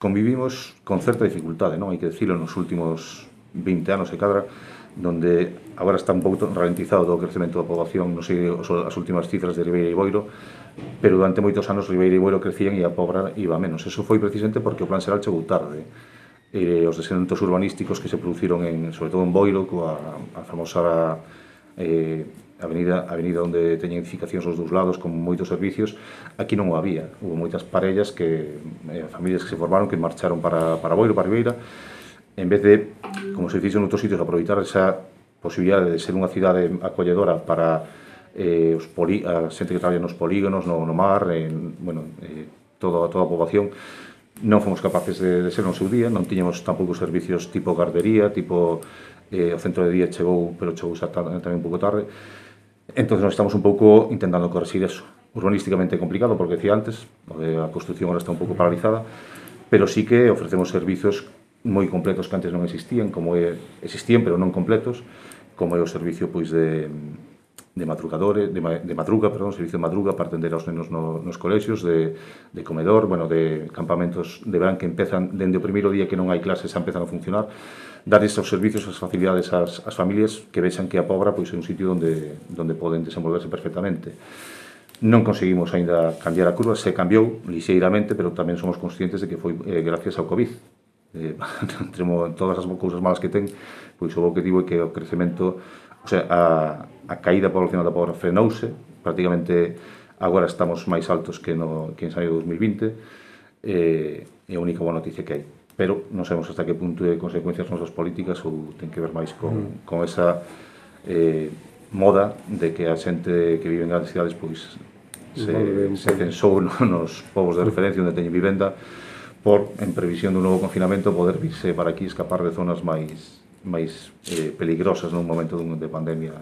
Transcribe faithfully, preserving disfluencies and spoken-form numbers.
convivimos con certa dificultade, non? Hai que decirlo, nos últimos vinte anos e cadra, donde agora está un pouco ralentizado todo o crecemento da poboación, non sei as últimas cifras de Ribeira e Boiro, pero durante moitos anos Ribeira e Boiro crecían e a Pobra iba menos. Eso foi precisamente porque o Plan Xeral chegou tarde. E os descendentos urbanísticos que se produciron, en, sobre todo en Boiro, coa a famosa eh, avenida, avenida onde teñen edificacións aos dous lados con moitos servicios, aquí non o había. Hubo moitas parellas, que eh, familias que se formaron, que marcharon para, para Boiro, para Ribeira, en vez de, como se fixo en outros sitios, aproveitar esa posibilidade de ser unha cidade acolledora para eh, os poli, a xente que traballa nos polígonos, no, no mar, en, bueno, eh, toda, toda a poboación. Non fomos capaces de, de ser no seu día, non tiñamos tampouco servicios tipo gardería, tipo eh, o centro de día chegou, pero chegou tamén un pouco tarde. Entón, nós estamos un pouco intentando corregir eso. Urbanísticamente é complicado, porque decía antes, a construcción agora está un pouco paralizada, pero sí que ofrecemos servizos moi completos que antes non existían, como é, existían, pero non completos, como é o servicio pois de de madrugadores, de, de madruga, perdón, servicio de madruga para atender aos nenos no, nos colexios, de, de comedor, bueno, de campamentos de verán que empezan, dende o primeiro día que non hai clases, xa empezan a funcionar, dar esos servicios, as facilidades ás, ás familias que vexan que a Pobra pois, é un sitio onde, onde poden desenvolverse perfectamente. Non conseguimos aínda cambiar a curva, se cambiou lixeiramente, pero tamén somos conscientes de que foi eh, gracias ao COVID. Eh, entre todas as cousas malas que ten, pois o objetivo é que o crecemento, o sea, a, a caída poblacional da Pobra frenouse, prácticamente agora estamos máis altos que, no, que en xaneiro de dos mil vinte, eh, é a única boa noticia que hai. Pero non sabemos hasta que punto de consecuencias nosas políticas ou ten que ver máis con, con esa eh, moda de que a xente que vive en grandes cidades pois se, se censou nos povos de referencia onde teñen vivenda por, en previsión dun novo confinamento, poder virse para aquí escapar de zonas máis máis eh, peligrosas nun momento dun, de pandemia